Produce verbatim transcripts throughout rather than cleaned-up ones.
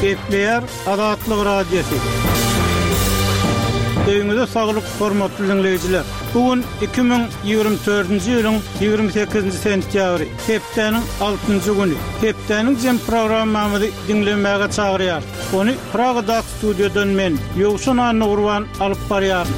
Gepleýär Azatlyk Radiosy. Öýüňize saglyk, hormatly diňleýjiler. Bu gün iki müň ýigrimi dördünji ýylyň ýigrimi sekizinji sentýabry, hepdäniň altynjy güni. Hepdäniň jem programmamyzy diňlemäge çagyrýar. Ony Pragadaky studiýadan men, Ýowşan Annagurban alyp barýaryn.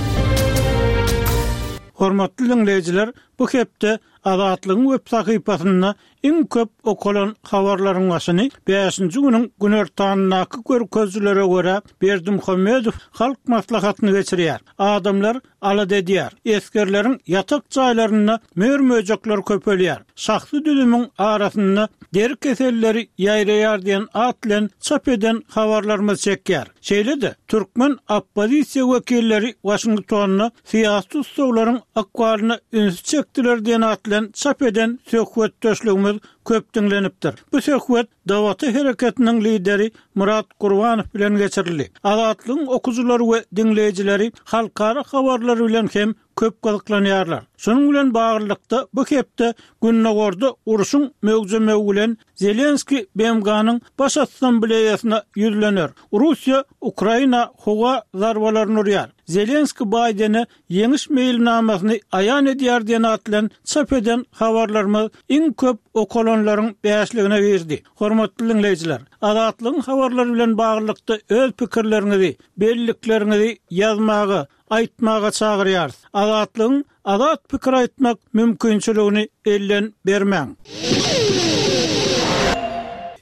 Hormatly diňleýjiler, bu hepde Azatlygyň web sahypasynda iň köp okalan habarlaryň başyny bäşinji günüň günortanyndaky görkezijilere görä Berdimuhamedow halk maslahatyny geçirýär. Adamlar alada edýär. Esgerleriň ýatak jaýlarynda mör-möjekler köpelýär. Şahsy düzümiň arasynda deri keselleri ýaýraýar diýen at bilen çap eden habarlarymyz çekýär. Şeýle-de türkmen oppozisiýa wekilleri Waşingtonda syýasy tussaglaryň ykbalyna ünsi çekdiler diýen at bilen çap eden söhbetdeşligimiz köp diňlenipdir. Bu söhbet Dawata hereketiniň lideri Murat Gurbanow bilen geçirildi. Azatlygyň okyjylary we diňleýjileri halkara habarlary bilen hem köp gyzyklanýarlar. Şonuň bilen baglylykda bu hepde Gündogarda urşuň möwjemegi bilen Zelenski B M G-nyň Baş Assambleýasyna ýüzlener. Russiýa Ukraina howa zarbalaryny urýar. Zelenski Baýdene ýeňiş meýilnamasyny aýan edýär diýen at bilen çap eden habarlarymyz iň köp okalanlaryň bäşligine girdi. Hormatly diňleýjiler, Azatlygyň habarlary bilen baglylykda öz pikirleriňizi, bellikleriňizi ýazmaga, aýtmaga çagyrýarys. Azatlygyň azat pikir aýtmak mümkinçiligini elden bermäň.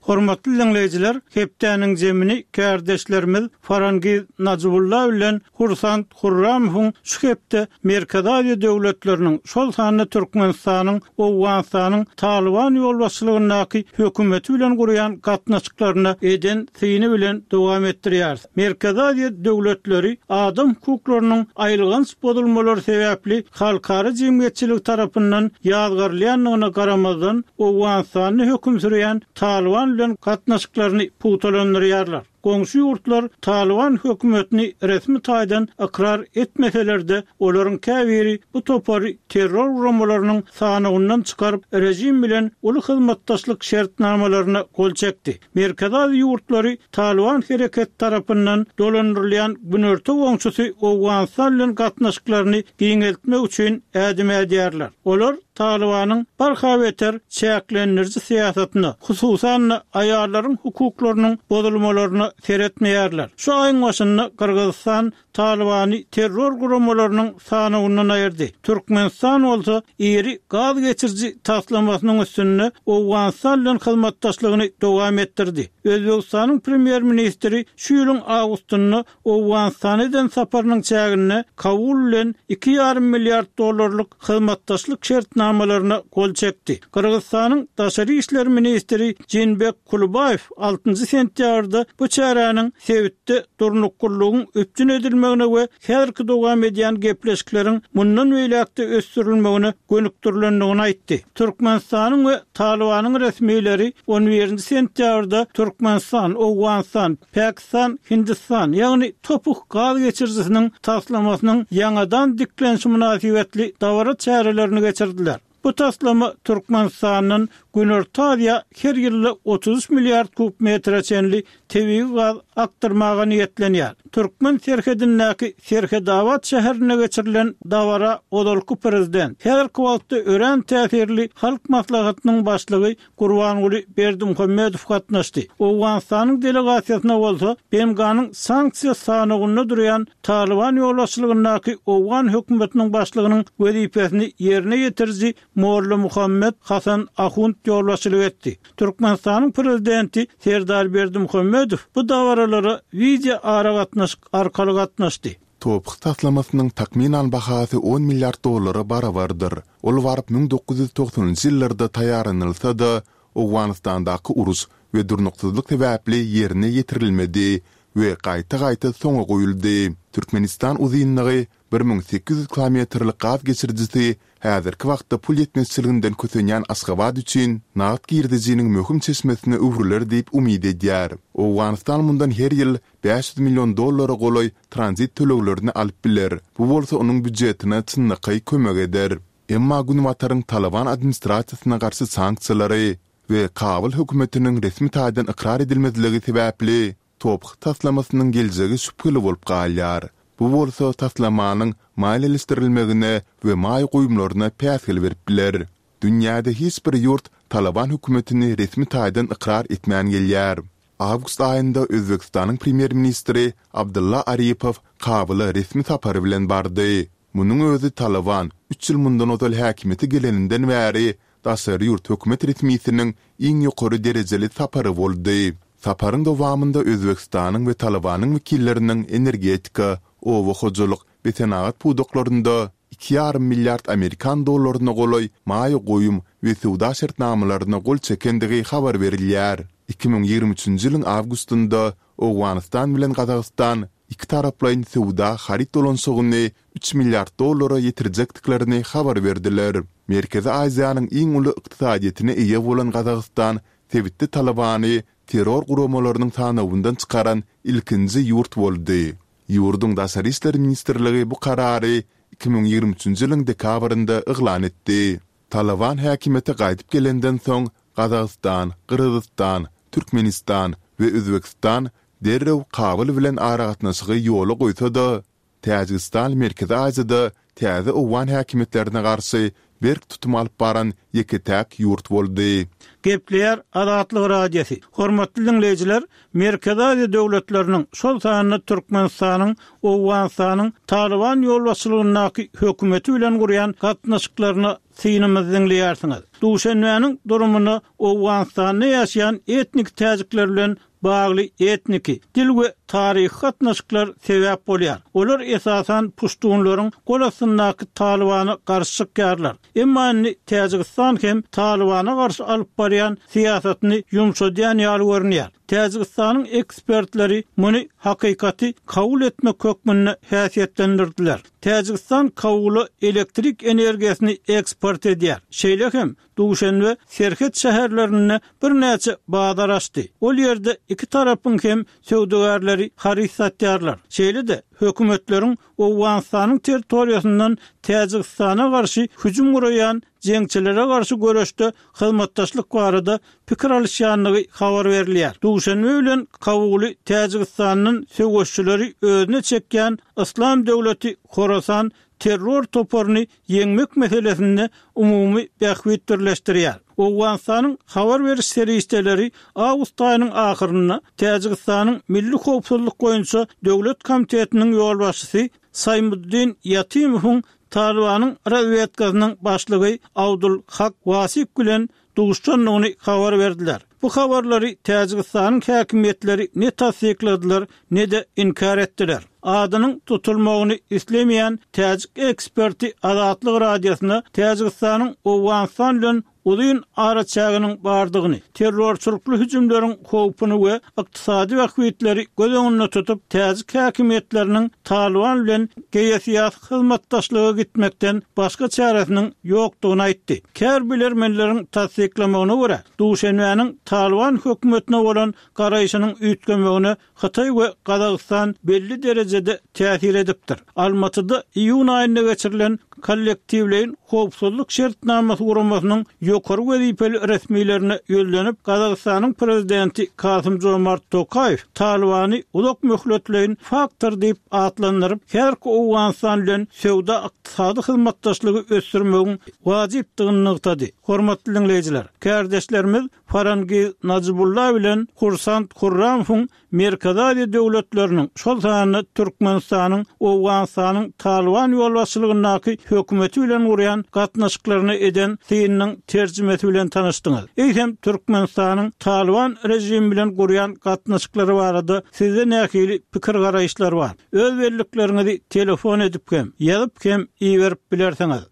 Hormatly diňleýjiler, hepdäniň zemini kärdeşlerimiz Farangiz Najibullah bilen Hursand Hurramowyň şu hepde Merkezi Aziýa döwletleriniň, şol sanda Türkmenistanyň, Owganystanyň Talyban ýolbaşçylygyndaky hökümeti bilen gurýan gatnaşyklaryna eden syny bilen dowam etdirýär. Merkezi Aziýa döwletleri adam hukuklarynyň aýylganç bozulmalary sebäpli halkara jemgyýetçiligi tarapyndan ýazgarylýandygyna garamazdan Owganystanda höküm sürýän Talyban bilen gatnaşyklaryny pugtalandyrýarlar. Goňşy ýurtlar Talyban hökümetini resmi taýdan ykrar etmeseler-de, olaryň käbiri bu topary terror guramalarynyň sanawyndan çykaryp, rejim bilen uly hyzmatdaşlyk şertnamalaryna gol çekdi. Merkezi Aziýa ýurtlary Talyban hereket tarapyndan dolandyrylýan günorta goňşusy Owganystan bilen gatnaşyklaryny giňeltmek üçin ädim ädýärler. Olar Talybanyň barha beter çäklendiriji syýasatyna, hususan-da aýallaryň hukuklarynyň bozulmalaryna seretmeýärler. Şu aýyň başynda Gyrgyzystan Talybany terror guramalarynyň sanawyndan aýyrdy. Türkmenistan bolsa iri gaz geçiriji taslamasynyň üstünde Owganystan bilen hyzmatdaşlygyny dowam etdirdi. Özbegistanyň premýer-ministri şu ýylyň awgustynda Owganystana eden saparynyň çäginde Kabul bilen iki ýarym milliard dollarlyk hyzmatdaşlyk şertnamalaryna gol çekdi. Gyrgyzystanyň daşary işler ministri Jeenbek Kulubaýew altynjy sentýabrda bu çäräniň sebitde durnuklylygyň üpjün edilmegine we häzirki dowam edýän gepleşikleriň mundan beýläk-de ösdürilmegine gönükdirilendigini aýtdy. Türkmenistanyň we Talybanyň resmileri on birinji sentýabrda Türkmenistan, Owganystan, Pakistan, Hindistan, ýagny Topuk gaz geçirijisiniň taslamasynyň ýaňadan diklenişi mynasybetli dabara çärelerini geçirdiler. Bu taslama Türkmenistandan Günorta Aziýa her ýylda otuz üç milliard kub metre çenli tebigy gaz akdyrmaga niýetlenýär. Türkmen serhedindäki Serhedabat şäherinde geçirilen dabara ozalky prezident, häzirki wagtda örän täsirli Halk Maslahatynyň başlygy Gurbanguly Berdimuhamedow gatnaşdy. Owganystanyň delegasiýasyna bolsa B M G-nyň sanksiýa sanawynda durýan Talyban ýolbaşçylygyndaky Owgan hökümetiniň başlygynyň wezipesini ýerine ýetiriji Molla Muhammed Hasan Ahund ýolbaşçylyk etdi. Türkmenistanyň prezidenti Serdar Berdimuhamedow bu dabaralara wideo aragatnaşyk arkaly gatnaşdy. Topuk taslamasynyň takmynan bahasy on milliard dollara barabardyr. Ol baryp müň dokuz ýüz togsanynjy ýyllarda taýýarlanylsa-da, Owganystandaky uruş we durnuksyzlyk sebäpli ýerine ýetirilmedi we gaýta-gaýta soňa goýuldy. Türkmenistan uzynlygy bir müň sekiz ýüz kilometrlik gaz geçirijisi häzirki wagtda pul ýetmezçiliginden kösenýän Aşgabat üçin nagt girdejiniň möhüm çeşmesine öwrüler diýip umyt edýär. Owganystan mundan her ýyl bäş ýüz million dollara golaý tranzit töleglerini alyp biler, bu bolsa onuň býujetine çynlakaý kömek eder. Emma Günbataryň Talyban administrasiýasyna garşy sanksiýalary we Kabul hökümetiniň resmi taýdan ykrar edilmezligi sebäpli T O P H taslamasynyň geljegi şübheli bolup galýar. Bu bolsa taslamanyň maliýeleşdirilmegine we maýa goýumlaryna päsgel berip biler. Dünýäde hiç bir ýurt Talyban hökümetini resmi taýdan ykrar etmän gelýär. Awgust aýynda Özbegistanyň premýer-ministri Abdylla Aripow Kabula resmi sapary bilen bardy. Munuň özi Talyban üç ýyl mundan ozal häkimiýete geleninden bäri daşary ýurt hökümet resmisiniň iň ýokary derejeli sapary boldy. Saparyň dowamynda Özbegistanyň we Talybanyň wekilleriniň energetika, oba hojalyk we senagat pudaklarynda iki ýarym milliard amerikan dollaryna golaý maýa goýum we söwda şertnamalaryna gol çekendigi habar berilýär. Iki müň ýigrimi üçünji ýylyň awgustynda Owganystan bilen Gazagystan ikitaraplaýyn söwda haryt dolanyşygyny üç milliard dollara ýetirjekdiklerini habar berdiler. Merkezi Aziýanyň iň uly ykdysadyýetine eýe bolan Gazagystan sebitde Talybany terror guramalarynyň sanawyndan çykaran ilkinji ýurt boldy. Ýurduň Daşary işler ministrligi bu karary iki müň ýigrimi üçünji ýylyň dekabrynda yglan etdi. Talyban häkimiýete gaýdyp gelenden soň Gazagystan, Gyrgyzystan, Türkmenistan we Özbegistan derrew Kabul bilen aragatnaşygy ýola goýsa-da, Täjigistan Merkezi Aziýada täze owgan häkimiýetlerine garşy berk tutum alyp baran ýeke-täk ýurt boldy. Gepleýär Azatlyk Radiosy. Hormatly diňleýjiler, Merkezi Aziýa döwletleriniň, şol sanda Türkmenistanyň Owganystanyň Talyban ýolbaşçylygyndaky hökümeti bilen gurýan gatnaşyklaryna synymyzy diňleýärsiňiz. Duşenbäniň durumyna Owganystanda ýaşaýan etnik täjikler bilen bagly etniki, dil we taryhy gatnaşyklar sebäp bolýar. Olar esasan puştunlaryň gol astyndaky Talybana garşy çykýarlar. Emma indi Täjigistan hem Talybana garşy alyp barýan syýasatyny ýumşadýan ýaly görünýär. Täjigistanyň ekspertleri muny hakykaty kabul etmek hökmünde häsiýetlendirdiler. Täjigistan Kabula elektrik energiýasyny eksport edýär. Şeýle hem Duşenbe serhet şäherlerinde birnäçe bazar açdy. Ol ýerde iki tarapyň hem söwdagärleri haryt satýarlar. Şeýle-de hökümetleriň Owganystanyň territoriýasyndan Täjigistana garşy hüjüm guraýan jeňçilere garşy göreşde hyzmatdaşlyk barada pikir alyşýandygy habar berilýär. Duşenbe bilen Kabuly Täjigistandan söweşçileri özüne çekýän Yslam döwleti Horasan terror toparyny ýeňmek meselesinde umumy bähbit birleşdirýär. Owganystanyň habar beriş serişdeleri awgust aýynyň ahyrynda Täjigistanyň Milli howpsuzlyk boýunça döwlet komitetiniň ýolbaşçysy Saýmuddin Ýatimowyň Talybanyň razwedkasynyň başlygy Abdul Hak Wasik bilen duşandygyny habar berdiler. Bu habarlary Täjigistanyň häkimiýetleri ne tassykladylar, ne-de inkär etdiler. Adynyň tutulmagyny islemeýän täjik eksperti Azatlyk Radiosyna Täjigistanyň Owganystan bilen uzyn araçäginiň bardygyny, terrorçylykly hüjümleriň howpuny we ykdysady bähbitleri göz öňünde tutup, täjik häkimiýetleriniň Talyban bilen geosyýasy hyzmatdaşlyga gitmekden başga çäresiniň ýokdugyny aýtdy. Kär bilermenleriň tassyklamagyna görä, Duşenbäniň Talyban hökümetine bolan garaýşynyň üýtgemegine Hytaý we Gazagystan belli derejede täsir edipdir. Almatyda iýun aýynda geçirilen Kollektiwleýin howpsuzlyk şertnamasy guramasynyň ýokary wezipeli resmilerine ýüzlenip, Gazagystanyň prezidenti Kasym-Jomart Tokaýew Talybany uzak möhletleýin faktor diýip atlandyryp, häzirki Owganystan bilen söwda-ykdysady hyzmatdaşlygy ösdürmegiň wajypdygyny nygtady. Hormatly diňleýjiler, kärdeşlerimiz Farangiz Najibulla bilen Hursand Hurramowyň Merkezi Aziýa döwletleriniň, şol sanda Türkmenistanyň Owganystanyň Talyban ýolbaşçylygyndaky hökümeti bilen gurýan gatnaşyklaryna eden synynyň terjimesi bilen tanyşdyňyz. Eýsem, Türkmenistanyň Talyban režimi bilen gurýan gatnaşyklary barada sizde nähili pikir-garaýyşlar bar? Öz bellikleriňizi telefon edip hem, ýazyp hem iberip bilersiňiz.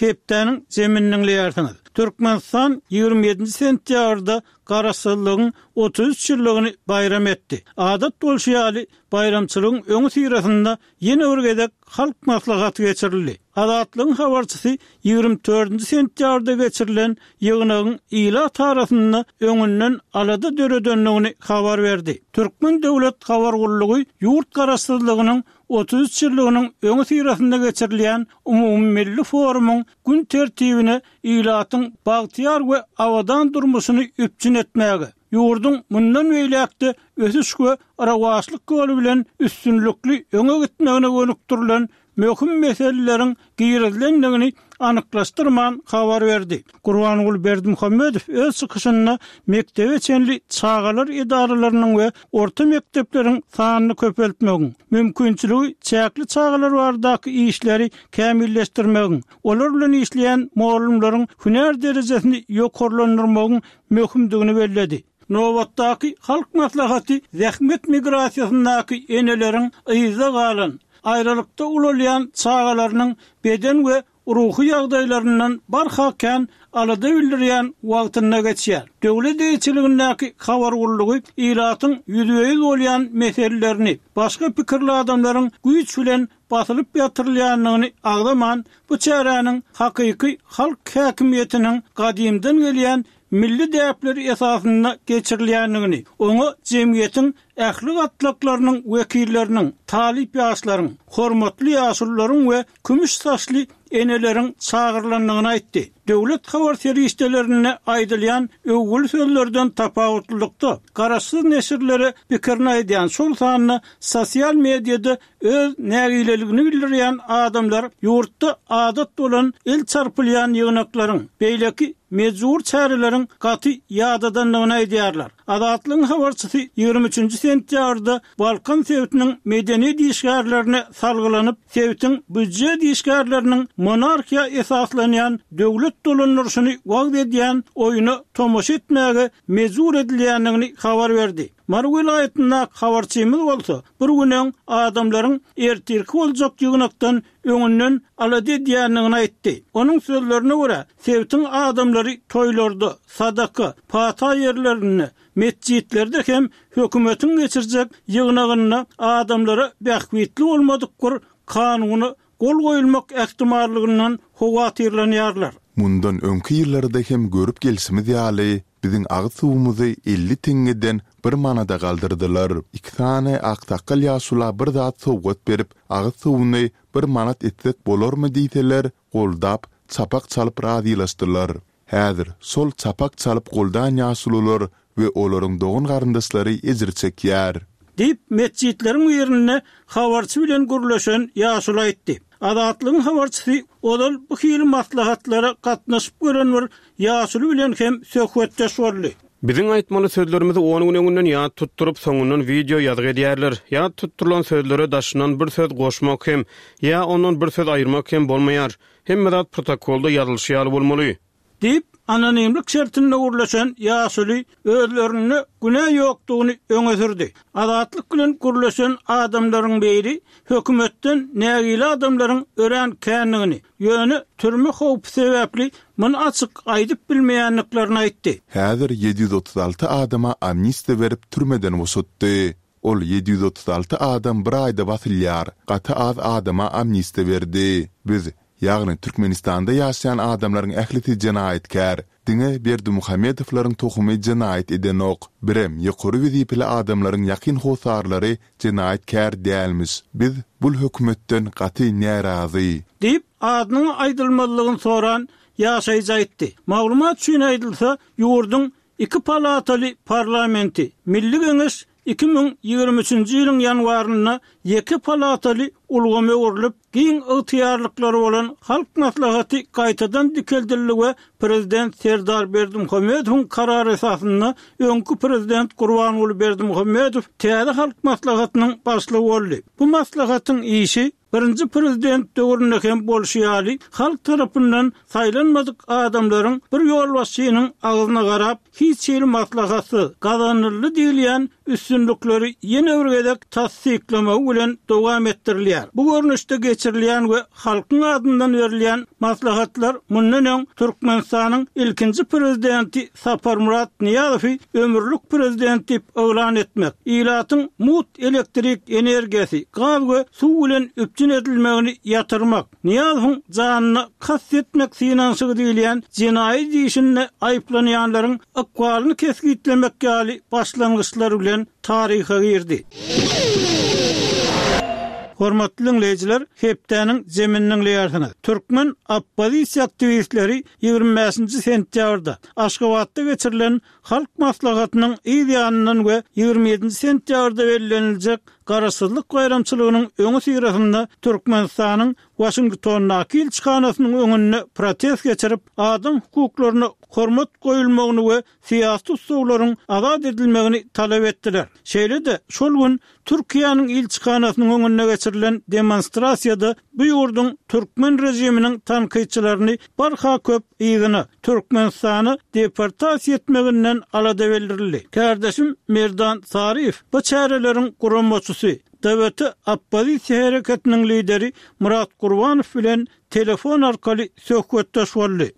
Hepdäniň jemini diňleýärsiňiz. Türkmenistan ýigrimi ýedinji sentýabrda Garaşsyzlygyň otuz üç ýyllygyny baýram etdi. Adat bolşy ýaly, baýramçylygyň öňüsyrasynda ýene bir gezek Halk Maslahaty geçirildi. Azatlygyň habarçysy ýigrimi dördünji sentýabrda geçirilen ýygnagyň ilat arasynda öňünden alada döredendigini habar berdi. Türkmen döwlet habar gullugy ýurt Garaşsyzlygynyň otuz üç ýyllygynyň öňüsyrasynda geçirilýän umumymilli forumyň gün tertibine ilatyň bagtyýar we abadan durmuşyny üpjün etmäge, ýurduň mundan beýläk-de ösüş we rowaçlyk ýoly bilen üstünlikli öňe gitmegine gönükdirilen möhüm meseleleriň girizilendigini anyklaşdyrman habar berdi. Gurbanguly Berdimuhamedow öz çykyşynda mekdebe çenli çagalar edaralarynyň we orta mekdepleriň sanyny köpeltmegiň, mümkinçiligi çäkli çagalar baradaky işleri kämilleşdirmegiň, olar bilen işleýän mugallymlaryň hünär derejesini ýokarlandyrmagyň möhümdigini belledi. Nobatdaky Halk Maslahaty zähmet migrasiýasyndaky eneleriň yzda galan, aýralykda ulalýan çagalarynyň beden we ruhy ýagdaýlaryndan barha kän alada bildirýän wagtynda geçýär. Döwlet eýeçiligindäki habar gullugy ilatyň ýüzbe-ýüz bolýan meselelerini, başga pikirli adamlaryň güýç bilen basylyp ýatyrylýandygyny agzaman, bu çäräniň hakyky halk häkimiýetiniň gadymdan gelýän milli däpleri esasynda geçirilýändigini, oňa jemgyýetiň ähli gatlaklarynyň wekilleriniň, talyp ýaşlaryň, hormatly ýaşulularyň we kümüş saçly eneleriň çagyrylandygyny aýtdy. Döwlet habar serişdelerinde aýdylýan öwgüli sözlerden tapawutlylykda, garaşsyz neşirlere pikirini aýdýan, şol sanda sosial mediada öz nägileligini bildirýän adamlar ýurtda adat bolan el çarpylýan ýygnaklaryň, beýleki mejbur çäreleriň gaty ýadadandygyny aýdýarlar. Azatlygyň habarçysy ýigrimi üçünji sentýabrda Balkan sebitiniň medeniýet işgärlerine salgylanyp, sebitiň býujet işgärleriniň monarhiýa esaslanýan döwlet dolandyryşyny wagyz edýän oýuna tomaşa etmäge mejbur edilýändigini habar berdi. Mary welaýatyndaky habarçymyz bolsa, bir gün öň adamlaryň ertirki boljak ýygnakdan öňünden alada edýändigini aýtdy. Onuň sözlerine görä, sebitiň adamlary toýlarda, sadaka, pata ýerlerinde, metjitlerde hem hökümetiň geçirjek ýygnagynda adamlara bähbitli bolmadyk bir kanuna gol goýulmak ähtimallygyndan howatyrlanýarlar. Mundan öňki ýyllarda hem görüp gelşimiz ýaly, biziň agyz suwumyzy elli teňňeden bir manada galdyrdylar. Iki sany aksakgal ýaşula bir zat sowgat berip, agyz suwuny bir manat etsek bolarmy diýseler, goldap, çapak çalyp razylaşdylar. Häzir şol çapak çalyp goldan ýaşulular we olaryň dogan-garyndaşlary ejir çekýär. Diýip, metjitleriň birinde habarçy bilen gürleşen ýaşuly aýtdy. Azatlygyň habarçysy ozal bu hili maslahatlara gatnaşyp gören bir ýaşuly bilen hem söhbetdeş boldy. Biziň aýtmaly sözlerimizi on gün öňünden ýat tutduryp, soňundan wideo ýazgy edýärler. Ýat tutdurylan sözlere daşyndan bir söz goşmak hem, ýa ondan bir söz aýyrmak hem bolmaýar. Hemme zat protokolda ýazylyşy ýaly bolmaly. Diýip, anonimlik şertinde gürleşen ýaşuly özlerinde günä ýokdugyny öňe sürdi. Azatlyk bilen gürleşen adamlaryň biri hökümetden nägile adamlaryň örän kändigini, ýöne türme howpy sebäpli muny açyk aýdyp bilmeýändiklerini aýtdy. Häzir ýedi ýüz otuz alty adama amnistiýa berip türmeden boşatdy. Ol ýedi ýüz otuz alty adam bir aýda basylýar, gaty az adama amnistiýa berdi. Biz, ýagny Türkmenistanda ýaşaýan adamlaryň ählisi jenaýatkär. Diňe Berdimuhamedowlaryň tohumy jenaýat edenok. Birem ýokary wezipeli adamlaryň ýakyn hossarlary jenaýatkär dälmiş. Biz bul hökümetden gaty närazy. Diýip, adynyň aýdylmazlygyny soran ýaşaýjy aýtdy. Maglumat üçin aýdylsa, ýurduň iki palataly parlamenti, Milli Geňeş iki müň ýigrimi üçünji ýylyň ýanwarynda ýeke palataly ulgama öwrülip, giň ygtyýarlyklary bolan Halk Maslahaty gaýtadan dikeldildi we Prezident Serdar Berdimuhamedowyň karary esasynda öňki Prezident Gurbanguly Berdimuhamedow täze Halk Maslahatynyň başlygy boldy. Bu maslahatyň işi birinji prezident döwründe hem bolşy ýaly, halk tarapyndan saýlanmadyk adamlaryň bir ýolbaşçynyň agzyna garap, hiç hili maslahatsyz, gazanyldy diýilýän üstünlikleri ýene bir gezek tassyklamagy bilen dowam etdirilýär. Bu görnüşde geçirilýän we halkyň adyndan berilýän maslahatlar mundan öň Türkmenistanyň ilkinji prezidenti Saparmyrat Nyýazowy ömürlik prezident diýip yglan etmek, ilatyň mut elektrik energiýasy, gaz we suw bilen üpjün edilmegini ýatyrmak, Nyýazowyň janyna kast etmek synanyşygy diýilýän jenaýat işinde aýyplanýanlaryň ykbalyny kesgitlemek ýaly başlangyçlar bilen taryha girdi. Hormatly diňleýjiler, hepdäniň jemini diňleýärsiňiz. Türkmen oppozisiýa aktiwistleri ýigrimi bäşinji sentýabrda Aşgabatda geçirilen Halk Maslahatynyň yz ýanyndan we ýigrimi ýedinji sentýabrda belleniljek Garaşsyzlyk baýramçylygynyň öňüsyrasynda Türkmenistanyň Waşingtondaky ilçihanasynyň öňünde protest geçirip, adam hukuklaryna hormat goýulmagyny we syýasy tussaglaryň azat edilmegini talap etdiler. Şeýle-de, şol gün Türkiýäniň ilçihanasynyň öňünde geçirilen demonstrasiýada bu ýurduň türkmen režiminiň tankytçylaryny barha köp yzyna, Türkmenistana deportasiýa etmeginden alada bildirildi. Kärdeşim Merdan Saryýew bu çäreleriň guramaçysy, D B T oppozisiýa hereketiniň lideri Myrat Gurbanow bilen telefon arkaly söhbetdeş boldy.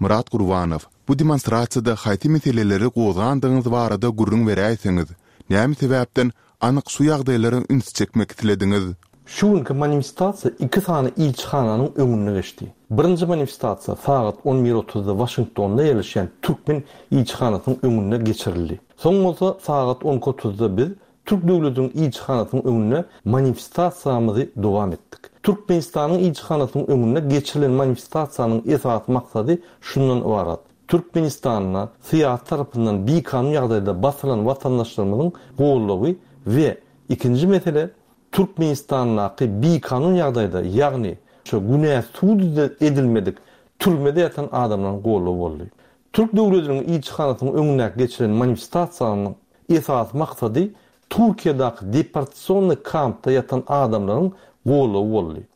Myrat Gurbanow, bu demonstrasiýada haýsy meseleleri gozgandygyňyz barada gürrüň beräýseňiz, näme sebäpden anyk şu ýagdaýlara üns çekmek islediňiz? Şu günki manifestasiýa iki sany ilçihananyň öňünde geçdi. Birinji manifestasiýa sagat on bir otuzda Waşingtonda ýerleşýän türkmen ilçihanasynyň öňünde geçirildi. Soň bolsa sagat on iki otuzda biz Türk döwletiniň ilçihanasynyň öňünde manifestasiýamyzy dowam etdik. Türkmenistanyň ilçihanasynyň öňünde geçirilen manifestasiýanyň esasy maksady şundan ybarat. Türkmenistanda syýasy tarapyndan bikanun ýagdaýda basylan watandaşlarymyzyň goldawy we ikinji mesele Türkmenistandaky bikanun ýagdaýda, ýagny şu günä sud edilmedik türmede ýatan adamlaryň goldawy boldy. Türk döwletiniň ilçihanasynyň öňündäki geçirilen manifestasiýanyň esasy maksady Türkiýedäki deportasionny kampda ýatan adamlaryň goldawy boldy.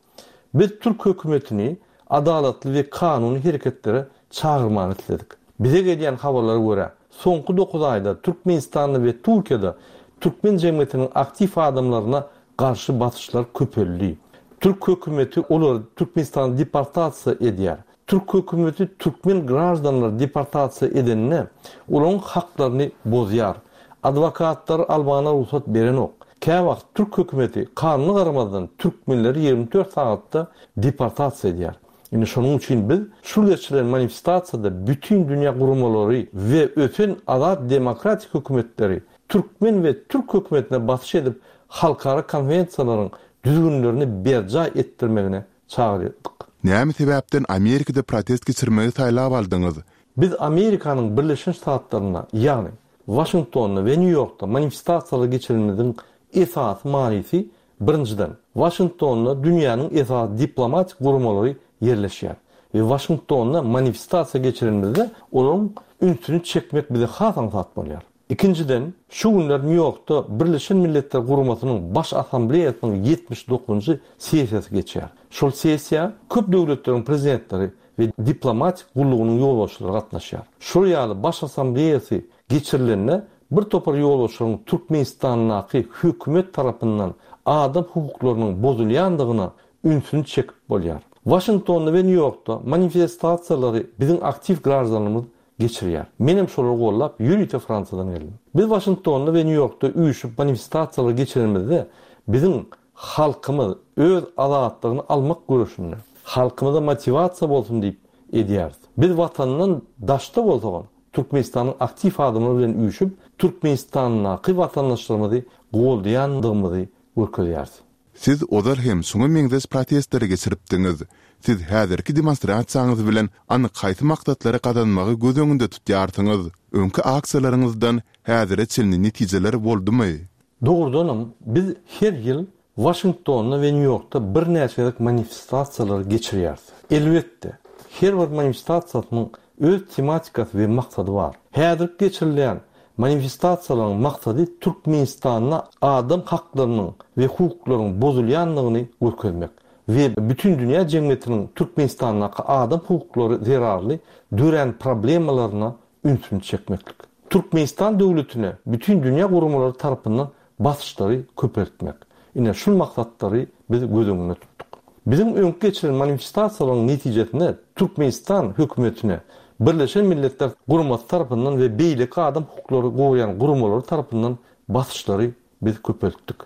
Biz Türk hökümetini adalatly we kanuny hereketlere çagyrmany isledik. Bize gelýän habarlara görä, soňky dokuz aýda Türkmenistanda we Türkiýede türkmen jemgyýetiniň aktiw adamlaryna garşy basyşlar köpeldi. Türk hökümeti olary Türkmenistana deportasiýa edýär. Türk hökümeti türkmen graždanlary deportasiýa edenine olaryň haklaryny bozýar. Adwokatlar almana rugsat berenok. Käwagt Türk hökümeti kanuny garamazdan türkmenleri ýigrimi dört sagatda deportasiýa edýär. Indi şonuň üçin biz şu geçirilen manifestasiýada bütün dünýä guramalary we ösen azat demokratik hökümetleri türkmen we türk hökümetine basyş edip halkara konwensiýalaryň düzgünlerini berjaý etdirmegine çagyrdyk. Näme sebäpden Amerikada protest geçirmegi saýlap aldyňyz? Biz Amerikanyň Birleşen Ştatlarynda, ýagny Waşingtonda we Nýu-Ýorkda manifestasiýalar geçirilmeginiň esasy manysy birinjiden, Waşingtonda dünýäniň esasy diplomatik guramalary ýerleşýär. We Waşingtonda manifestasiýa geçirilmeginde olaryň ünsüni çekmek bize has aňsat bolýar. Ikinjiden, şu günler Nýu-Ýorkda Birleşen Milletler Guramasynyň Baş Assambleýasynyň ýetmiş dokuzynjy sessiýasy geçýär. Şol sessiýa köp döwletleriň prezidentleri we diplomatik gullugynyň ýolbaşçylary gatnaşýar. Şol ýaly Baş Assambleýasy geçirilende bir topar ýolbaşçylaryň Türkmenistandaky hökümet tarapyndan adam hukuklarynyň bozulýandygyna ünsüni çekip bolýar. Waşingtonda we Nýu-Ýorkda manifestasiýalary biziň aktiw graždanlarymyz geçirýär. Menem şolary gollap ýörite Fransiýadan geldim. Biz Waşingtonda we Nýu-Ýorkda üýşüp manifestasiýalary geçirenimizde biziň halkymyz öz azatlygyny almak göreşinde halkymyza motiwasiýa bolsun diýip edýäris. Biz watandan daşda bolsaňam Türkmenistanyň aktiw adamlary bilen üýşüp Türkmenistandaky watandaşlarymyzy goldaýandygymyzy görkezýäris. Siz ozal hem şoňa meňzeş protestleri geçiripdiňiz. Siz häzirki demonstrasiýaňyz bilen anyk haýsy maksatlary gazanmagy göz öňünde tutýarsyňyz? Öňki aksiýalaryňyzdan häzire çenli netijeler boldumy? Dogrudanam biz her ýyl Waşingtonda we Nýu-Ýorkda birnäçe gezek manifestasiýalary geçirýäris. Elbetde, her bir manifestasiýasynyň öz tematikasy we maksady bar. Häzir geçirilýän manifestasiýalaryň maksady Türkmenistanda adam haklarynyň we hukuklaryň bozulýandygyny görkezmek we bütün dünýä jemgyýetiniň Türkmenistandaky adam hukuklary zerarly dörän problemalaryna ünsüni çekmeklik. Türkmenistan döwletine bütün dünýä guramalary tarapyndan basyşlary köpeltmek. Ine şul maksatlary biz göz öňünde tutduk. Biziň öňki geçirilen manifestasiýalaryň netijesinde Türkmenistan hökümetine Birleşen Milletler Guramasy tarapyndan we beýleki adam hukuklary goraýan guramalary tarapyndan basyşlary biz köpeltdik.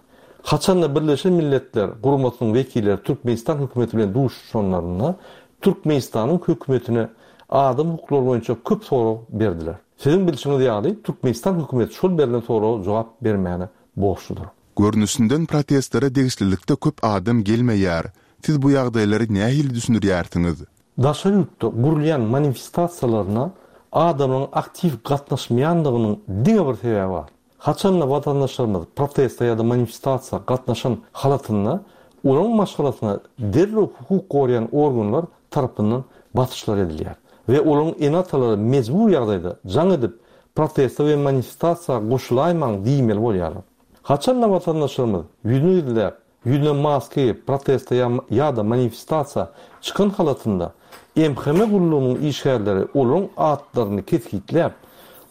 Haçanda Birleşen Milletler Guramasynyň wekilleri Türkmenistan hökümeti bilen duşuşanlarynda Türkmenistanyň hökümetine adam hukuklary boýunça köp sorag berdiler. Siziň bilşiňiz ýaly Türkmenistan hökümeti şol berlen soraga jogap bermäne borçludyr. Görnüşinden protestlere degişlilikde köp adam gelmeýär. Siz bu ýagdaýlary nähili düşündirýärsiňiz? Daşary ýurtda gurulýan manifestasiýalaryna adamlaryň aktiw gatnaşmaýandygynyň diňe bir sebäbi bar. Haçanda watandaşlarymyz proteste ýa-da manifestasiýa gatnaşan halatynda olaryň maşgalasyna derrew hukuk goraýan organlar tarapyndan basyşlar edilýär we olaryň ene-atalary mejbur ýagdaýda jaň edip proteste we manifestasiýa goşulaýmaň diýmeli bolýarlar. Haçanda watandaşlarymyz ýüzüni gizläp, ýüzüne maska geýip proteste ýa-da manifestasiýa çykan halatynda M H M gullugynyň işgärleri olaryň atlaryny kesgitläp,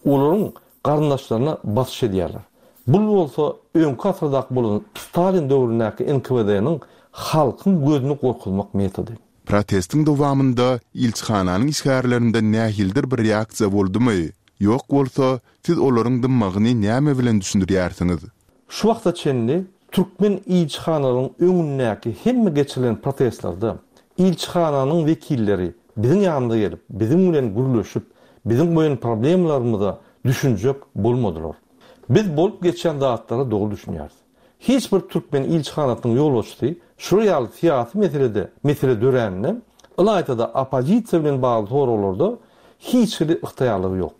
olaryň garyndaşlaryna basyş edýärler. Bu bolsa öňki asyrdaky bolan Stalin döwründäki N K W D-niň halkyň gözüni gorkuzmak metody. Protestiň dowamynda ilçihananyň işgärlerinden nähilidir bir reaksiýa boldumy? Ýok bolsa, siz olaryň dymmagyny näme bilen düşündirýärsiňiz? Şu wagta çenli türkmen ilçihanalaryň öňündäki hemme geçirilen protestlerde ilçihananyň wekilleri biziň ýanymyza gelip, biziň bilen gürleşip, biziň goýan problemalarymyza düşünjek bolmadylar. Biz bolup geçen zatlara dogry düşünýäris. Hiç bir türkmen ilçihanasynyň ýolbaşçysy şu ýaly syýasy meselede mesele dörände, ylaýta-da oppozisiýa bilen bagly soraglarda hiç hili ygtyýarlygy ýok.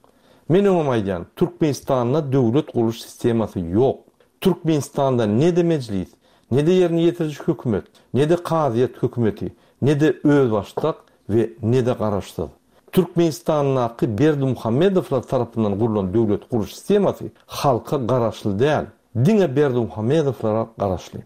Men öňem aýdýan, Türkmenistanda döwlet gurluş sistemasy ýok. Türkmenistanda ne-de mejlis, ne-de ýerine ýetiriji hökümet, ne-de kazyýet hökümeti, ne-de özbaşdak we ne-de garaşsyz. Türkmenistandaky Berdimuhamedowlar tarapyndan gurlan döwlet gurluş sistemasy halka garaşly däl, diňe Berdimuhamedowlara garaşly.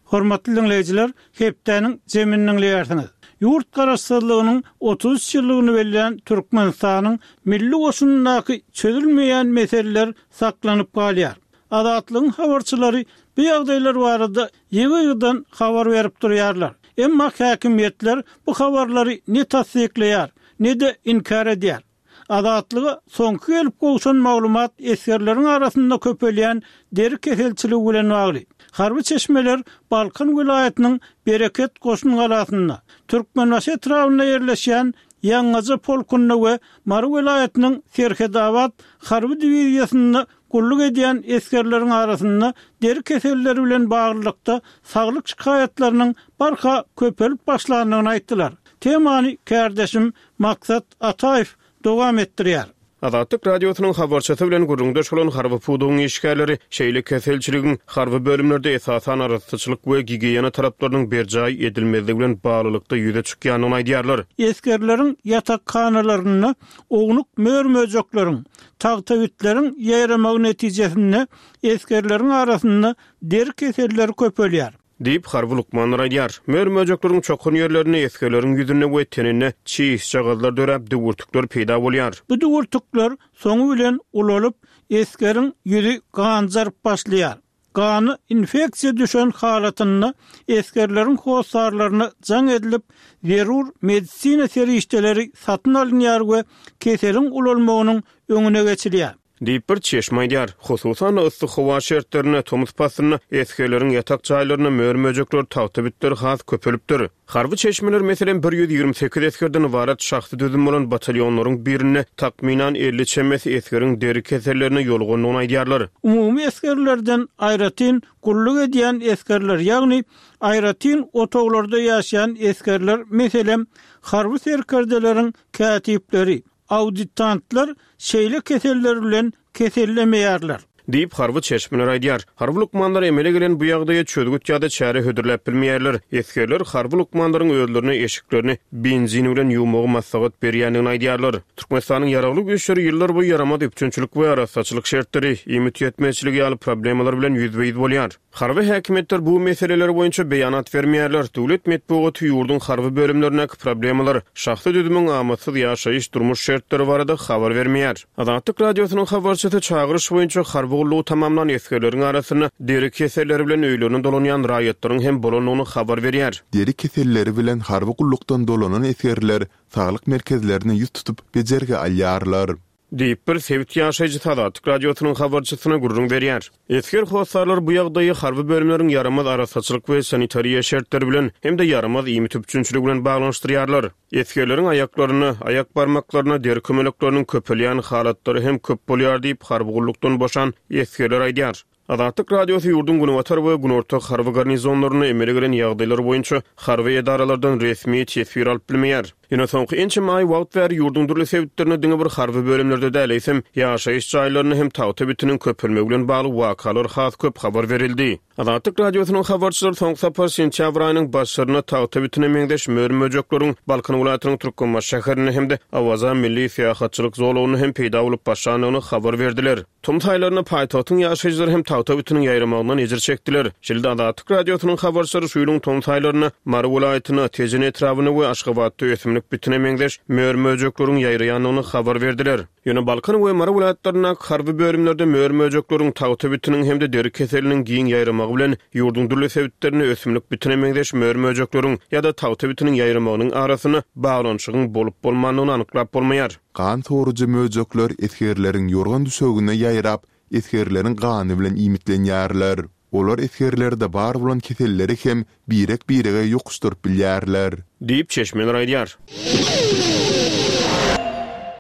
Hormatly dinleýjiler, hepdäniň zemini dinleýärsiňiz. Ýurt garaşsyzlygynyň otuz üç ýyllygyny belleýän Türkmenistanyň milli goşunyndaky çözülmeýän meseleler saklanyp galýar. Azatlygyň habarçylary bu ýagdaýlar barada ýygy-ýygydan habar berip durýarlar. Emma häkimiýetler bu habarlary ne tassyklaýar, ne-de inkär edýär. Azatlyga soňky gelip gowşan maglumat esgerleriň arasynda köpelýän deri keselçiligi bilen bagly. Harby çeşmeler Balkan welaýatynyň Bereket goşun galasynda, Türkmenbaşy etrabynda ýerleşýän Ýaňgaja polkunda we Mary welaýatynyň Serhetabat harby diwiziýasynda gulluk edýän esgerleriň arasynda deri keselleri bilen baglylykda saglyk şikaýatlarynyň barha köpelip başlandygyny aýtdylar. Temany kärdeşim Maksat Ataýew dowam etdirýär. Azatlyk Radiosynyň habarçysy bilen gürrüňdeş bolan harby pudagyň işgärleri şeýle keselçiligiň harby bölümlerde esasan arassaçylyk we gigiýena talaplarynyň berjaý edilmezligi bilen baglylykda ýüze çykýandygyny aýdýarlar. Esgerleriň ýatakhanalarynda ownuk mör-möjekleriň, tagtawitleriň ýaýramagy netijesinde esgerleriň arasynda deri keselleri köpelýär. Diýip harby lukmanlar aýdýar. Mör-möjekleriň çokan ýerlerinde esgerleriň ýüzünde we teninde çişjagazlar döräp, düwürtikler peýda bolýar. Bu düwürtikler soňy bilen ulalyp, esgeriň ýüzi ganjaryp başlaýar. Gany infeksiýa düşen halatynda esgerleriň hossarlaryna jaň edilip, zerur medisina serişdeleri satyn alynýar we keseliň ulalmagynyň öňüne geçilýär. Diýip bir çeşme aýdýar. Hususan yssy howa şertlerinde tomus paslynda esgerleriň ýatak jaýlarynda mör-möjekler, tagtabitler has köpelipdir. Harby çeşmeler meselem bir ýüz ýigrimi sekiz esgerden ybarat şahsy düzüm bolan batalýonlaryň birinde takmynan elli çemesi esgeriň deri kesellerine ýolugandygyny aýdýarlar. Umumy esgerlerden aýratyn gulluk edýän esgerler, ýagny aýratyn otaglarda ýaşaýan esgerler, meselem harby serkerdeleriň kätipleri, auditantlar şeýle keseller bilen kesellemeýärler. Diýip harby çeşmeler aýdýar. Harby lukmanlar emele gelen bu ýagdaýa çözgüt ýa-da çäre hödürläp bilmeýärler. Esgerler harby lukmanlaryň özlerine eşiklerini benzin bilen ýuwmagy maslahat berýändigini aýdýarlar. Türkmenistanyň ýaragly güýçleri ýyllar boýy ýaramaz üpjünçilik we arassaçylyk şertleri, iýmit ýetmezçiligi ýaly problemalar bilen ýüzbe-ýüz bolýar. Harby häkimiýetler bu meseleler boýunça beýanat bermeýärler. Döwlet metbugaty ýurduň harby bölümlerindäki problemalar, şahsy düzümiň amatsyz ýaşaýyş durmuş şertleri barada habar bermeýär. Azatlyk Radiosynyň habarçysy çagyryş boýunça harby gullugy tamamlan esgerleriň arasynda deri keselleri bilen öýlerine dolanýan raýatlaryň hem bolandygyny habar berýär. Deri keselleri bilen harby gullukdan dolanan esgerler saglyk merkezlerine ýüz tutup bejergi alýarlar. Diýip, bir sebit ýaşaýjysy Azatlyk Radiosynyň habarçysyna gürrüň berýär. Esger hossarlary bu ýagdaýy harby bölümleriň ýaramaz arassaçylyk we sanitariýa şertleri bilen hem-de ýaramaz iýmit üpjünçiligi bilen baglanyşdyrýarlar. Esgerleriň aýaklarynda, aýak barmaklarynda deri kömelekleriniň köpelýän halatlary hem köp bolýar diýip, harby gullukdan boşan esgerler aýdýar. Azatlyk Radiosy ýurduň günbatar we günorta harby garnizonlarynda emele gelen ýagdaýlar boýunça harby edaralardan resmi teswir alyp bilmeýär. Ýöne soňky ençeme aý wagt bäri ýurduň dürli sebitlerinde diňe bir harby bölümlerde däl, eýsem, ýaşaýyş jaýlarynda hem tagta bitiniň köpelmegi bilen bagly wakalar has köp habar berildi. Azatlyk Radiosynyň habarçylary soňky sapar sentýabr aýynyň başlarynda tagta bitine meňzeş mör-möjekleriň Balkan welaýatynyň Türkmenbaşy şäherinde hem-de Awaza milli syýahatçylyk zolagynda hem peýda bolup başlandygyny habar berdiler. Tomus aýlarynda paýtagtyň ýaşaýjylary hem tagta bitiniň ýaýramagyndan ejir çekdiler. Şeýle-de Azatlyk Radiosynyň habarçylary şu ýylyň tomus aýlarynda Mary welaýatynda, Tejen etrabynda we Aşgabatda ösümlik bitine meňzeş mör-möjekleriň ýaýraýandygyny habar berdiler. Ýöne Balkan we Mary welaýatlaryndaky harby bölümlerde mör-möjekleriň, tagta bitiniň hem-de deri keseliniň giň ýaýramagy bilen ýurduň dürli sebitlerinde ösümlik bitine meňzeş mör-möjekleriň ýa-da tagta bitiniň ýaýramagynyň arasynda baglanyşygyň bolup-bolmandygyny anyklap bolmaýar. Gan sorujy möjekler esgerleriň ýorgan-düşegine ýaýrap, esgerleriň gany bilen iýmitlenýärler. Olar esgerlerde bar bolan keselleri hem birek-birege ýokuşdyryp bilýärler. Diýip, çeşmeler aýdýar.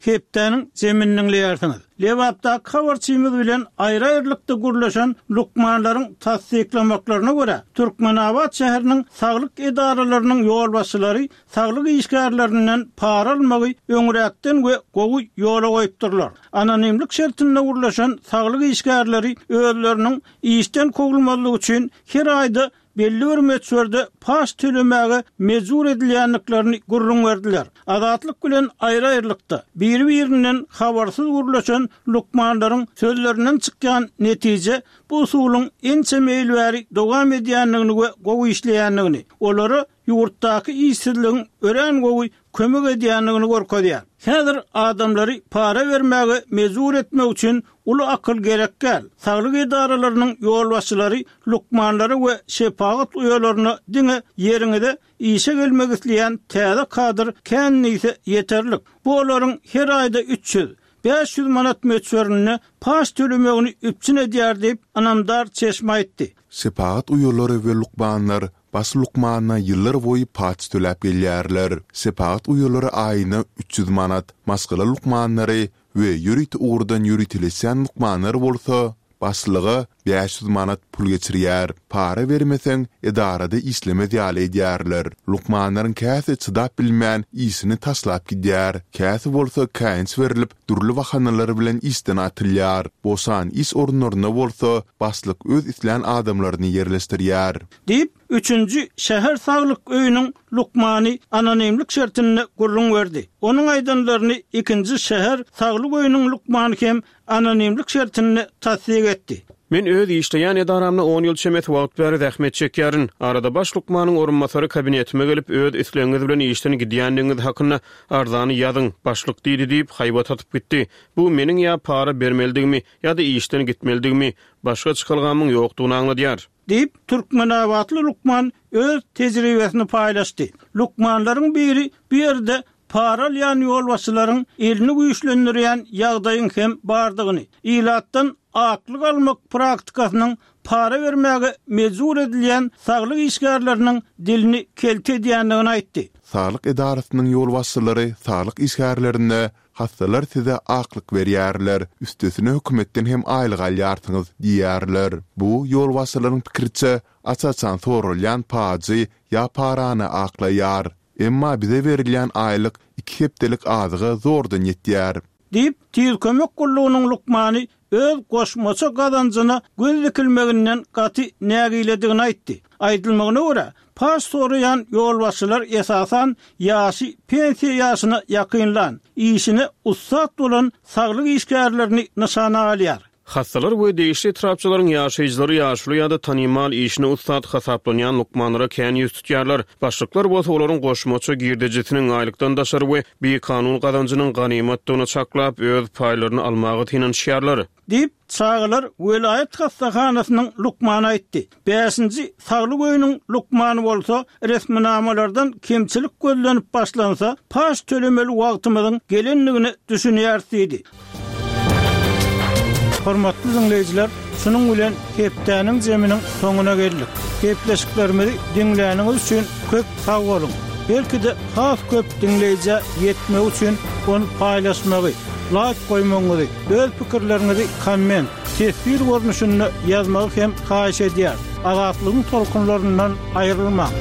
Hepdäniň jemini diňleýärsiňiz. Lebapdaky habarçymyz bilen aýry-aýrylykda gürleşen lukmanlaryň tassyklamaklaryna görä, Türkmenabat şäheriniň saglyk edaralarynyň ýolbaşçylary saglyk işgärlerinden para almagy öňräkden we gowy ýola goýupdyrlar. Anonimlik şertinde gürleşen saglyk işgärleri özleriniň işden kowulmazlygy üçin her aýda belli bir möçberde paç tölemäge mejbur edilýändiklerini gürrüň berdiler. Azatlyk bilen aýry-aýrylykda, biri-birinden habarsyz gürleşen lukmanlaryň sözlerinden çykýan netije bu usulyň ençeme ýyl bäri dowam edýändigini we gowy işleýändigini, olara ýurtdaky işsizligiň örän gowy kömek edýändigini görkezýär. Häzir adamlary para bermäge mejbur etmek üçin uly akyl gerek däl. Saglyk edaralarynyň ýolbaşçylary lukmanlara we şepagat uýalaryna diňe ýeriňize işe gelmek isleýän täze kadr kän diýse ýeterlik. Bu olaryň her aýda üç ýüz, bäş ýüz manat möçberinde paç tölemegini üpjün edýär diýip, ynamdar çeşme aýtdy. Şepagat uýalary we lukmanlar baş lukmana ýyllar boýy paç töläp gelýärler. Şepagat uýalary aýyna üç ýüz manat, maşgala lukmanlary we ýörite ugurdan ýöriteleşýän lukmanlar bolsa başlyga bäş ýüz manat pul geçirýär. Para bermeseň, edarada işlemez ýaly edýärler. Lukmanlaryň käsi çydap bilmän, işini taşlap gidýär. Käsi bolsa käýinç berlip, dürli bahanalar bilen işden atylýar. Boşan iş orunlaryna bolsa başlyk öz islän adamlaryny ýerleşdirýär. Diýip, üçünji şäher saglyk öýüniň lukmany anonimlik şertinde gürrüň berdi. Onuň aýdanlaryny ikinji şäher saglyk öýüniň lukmany hem anonimlik şertinde tassyk etdi. Men öz işleýän edaramda on ýyl çemesi wagt bäri zähmet çekýärin. Arada baş lukmanyň orunbasary kabinetime gelip, öz islegiňiz bilen işden gidýändigiňiz hakynda arzany ýazyň, başlyk diýdi diýip, haýbat atyp gitdi. Bu meniň ýa para bermelidigimi, ýa-da işden gitmelidigimi, başga çykalgamyň ýokdugyny aňladýar. Diýip, türkmenabatly lukman öz tejribesini paýlaşdy. Lukmanlaryň biri bu ýerde para alýan ýolbaşçylaryň elini güýçlendirýän ýagdaýyň hem bardygyny, ilatdan aklyk almak praktikasynyň para bermäge mejbur edilýän saglyk işgärleriniň dilini kelte edýändigini aýtdy. Saglyk edarasynyň ýolbaşçylary saglyk işgärlerine hassalar size aklyk berýärler, üstesine hökümetden hem aýlyk alýarsyňyz diýýärler. Bu ýolbaşçylaryň pikiriçe, aç-açan soralýan pajy ýa parany aklaýar. Emma bize berilýän aýlyk iki hepdelik azyga zordan ýetýär. Diýip, Tiz kömek gullugynyň lukmany öz goşmaça gazanjyna göz dikilmeginden gaty nägiledigini aýtdy. Aýdylmagyna görä, paç soraýan ýolbaşçylar esasan ýaşy pensiýa ýaşyna ýakynlan, işine ussat bolan saglyk işgärlerini nyşana alýar. Hassalar we degişli etrapçalaryň ýaşaýjylary ýaşuly ýa-da tanymal işine ussat hasaplanýan lukmanlara kän ýüz tutýarlar. Başlyklar bolsa olaryň goşmaça girdejisiniň aýlykdan daşary we bikanun gazanjynyň ganymatdygyny çaklap, öz paýlaryny almaga synanyşýarlar. Diýip, çagalar welaýat hassahanasynyň lukmany aýtdy. Bäşinji saglyk öýüniň lukmany bolsa, resminamalardan kemçilik gözlenip başlansa, paç tölemeli wagtymyzyň gelendigine düşünýäris diýdi. Hormatly diňleýjiler, şunuň bilen hepdäniň zeminiň soňuna geldik. Gepleşiklerimizi diňläniňiz üçin köp sag boluň. Belki-de has köp diňleýjä ýetmegi üçin ony paýlaşmagy, laýk goýmagyňyzy, öz pikirleriňizi komment, teswir görnüşinde ýazmagy hem haýyş edýäris. Azatlygyň tolkunlaryndan aýrylmaň.